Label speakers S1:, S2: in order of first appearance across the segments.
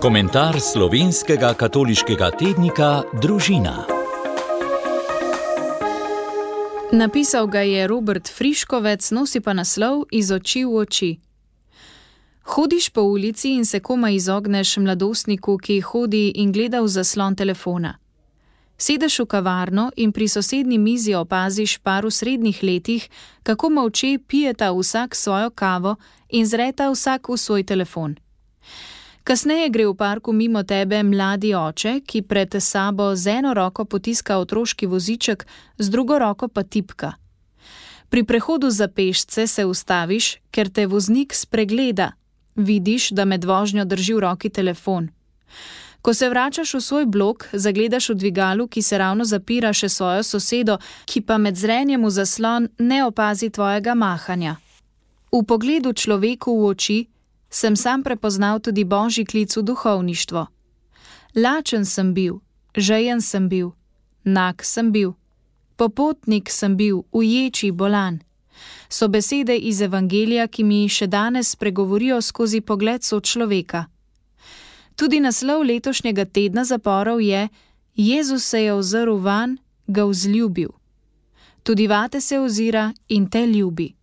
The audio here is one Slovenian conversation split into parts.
S1: Komentar slovenskega katoliškega tednika Družina.
S2: Napisal ga je Robert Friškovec, nosi pa naslov Iz oči v oči. Hodiš po ulici in se komaj izogneš mladostniku, ki hodi in gleda v zaslon telefona. Sedeš v kavarno in pri sosednji mizi opaziš par v srednjih letih, kako molče pijeta vsak svojo kavo in zreta vsak v svoj telefon. Kasneje gre v parku mimo tebe mladi oče, ki pred sabo z eno roko potiska otroški voziček, z drugo roko pa tipka. Pri prehodu za pešce se ustaviš, ker te voznik spregleda. Vidiš, da med vožnjo drži v roki telefon. Ko se vračaš v svoj blok, zagledaš v dvigalu, ki se ravno zapira, še svojo sosedo, ki pa med zrenjem v zaslon ne opazi tvojega mahanja. V pogledu človeku v oči sem sam prepoznal tudi božji klic v duhovništvo. Lačen sem bil, žejen sem bil, nag sem bil, popotnik sem bil, uječi, bolan. So besede iz Evangelija, ki mi še danes spregovorijo skozi pogled sočloveka. Tudi naslov letošnjega tedna zaporov je Jezus se je ozrl vanj, ga vzljubil. Tudi vate se ozira in te ljubi.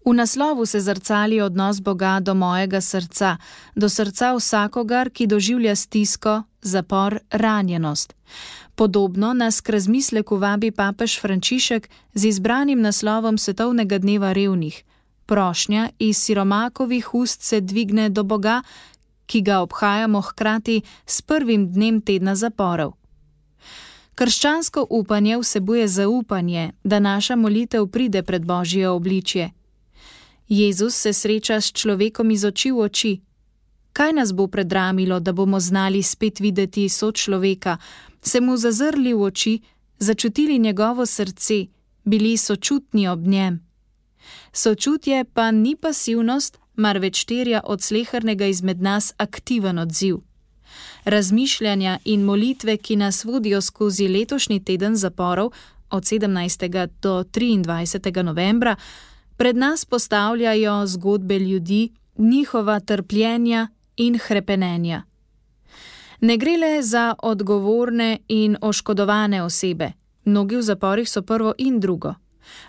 S2: V naslovu se zrcali odnos Boga do mojega srca, do srca vsakogar, ki doživlja stisko, zapor, ranjenost. Podobno nas k razmisleku vabi papež Frančišek z izbranim naslovom Svetovnega dneva revnih. Prošnja iz siromakovih ust se dvigne do Boga, ki ga obhajamo hkrati s prvim dnem tedna zaporov. Krščansko upanje vsebuje zaupanje, da naša molitev pride pred Božje obličje. Jezus se sreča s človekom iz oči v oči. Kaj nas bo predramilo, da bomo znali spet videti sočloveka, se mu zazrli v oči, začutili njegovo srce, bili sočutni ob njem? Sočutje pa ni pasivnost, marveč terja od slehernega izmed nas aktiven odziv. Razmišljanja in molitve, ki nas vodijo skozi letošnji teden zaporov od 17. do 23. novembra, pred nas postavljajo zgodbe ljudi, njihova trpljenja in hrepenenja. Ne gre le za odgovorne in oškodovane osebe, mnogi v zaporih so prvo in drugo,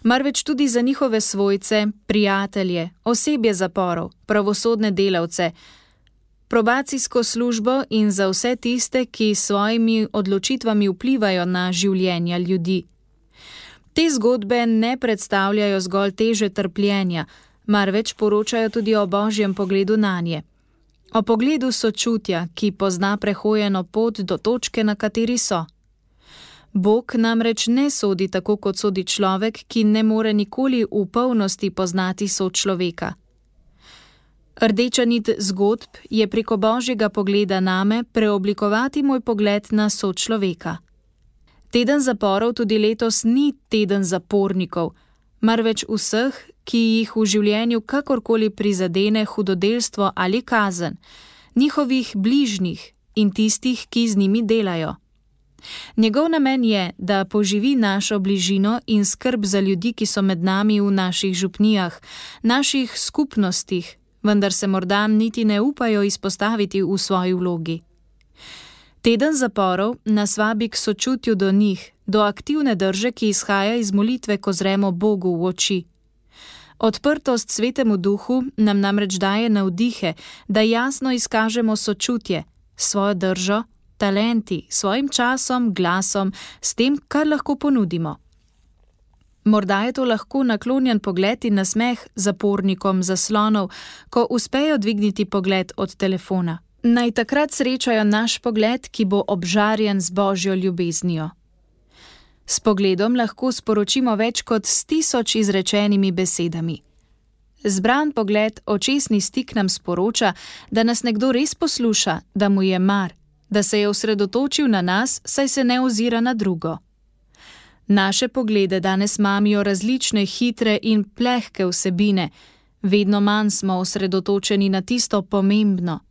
S2: marveč tudi za njihove svojce, prijatelje, osebje zaporov, pravosodne delavce, probacijsko službo in za vse tiste, ki s svojimi odločitvami vplivajo na življenja ljudi. Te zgodbe ne predstavljajo zgolj teže trpljenja, marveč poročajo tudi o božjem pogledu nanje. O pogledu sočutja, ki pozna prehojeno pot do točke, na kateri so. Bog namreč ne sodi tako, kot sodi človek, ki ne more nikoli v polnosti poznati sočloveka. Rdeča nit zgodb je preko božjega pogleda name preoblikovati moj pogled na sočloveka. Teden zaporov tudi letos ni teden zapornikov, marveč vseh, ki jih v življenju kakorkoli prizadene hudodelstvo ali kazen, njihovih bližnjih in tistih, ki z njimi delajo. Njegov namen je, da poživi našo bližino in skrb za ljudi, ki so med nami v naših župnijah, naših skupnostih, vendar se morda niti ne upajo izpostaviti v svoji vlogi. Teden zaporov nas vabi k sočutju do njih, do aktivne drže, ki izhaja iz molitve, ko zremo Bogu v oči. Odprtost Svetemu Duhu nam namreč daje navdihe, da jasno izkažemo sočutje, svojo držo, talenti, svojim časom, glasom, s tem, kar lahko ponudimo. Morda je to lahko naklonjen pogled in nasmeh zapornikom zaslonov, ko uspejo dvigniti pogled od telefona. Naj takrat srečajo naš pogled, ki bo obžarjen z božjo ljubeznijo. S pogledom lahko sporočimo več kot s 1000 izrečenimi besedami. Zbran pogled, očesni stik nam sporoča, da nas nekdo res posluša, da mu je mar, da se je osredotočil na nas, saj se ne ozira na drugo. Naše poglede danes mamijo različne hitre in plehke vsebine, vedno manj smo osredotočeni na tisto pomembno.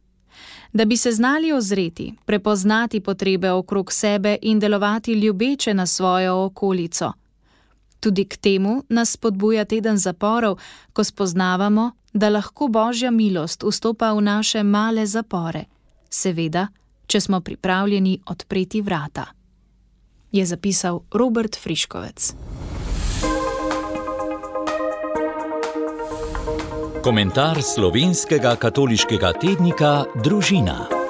S2: Da bi se znali ozreti, prepoznati potrebe okrog sebe in delovati ljubeče na svojo okolico. Tudi k temu nas spodbuja teden zaporov, ko spoznavamo, da lahko božja milost vstopa v naše male zapore. seveda, če smo pripravljeni odpreti vrata, je zapisal Robert Friškovec.
S1: Komentar slovenskega katoliškega tednika Družina.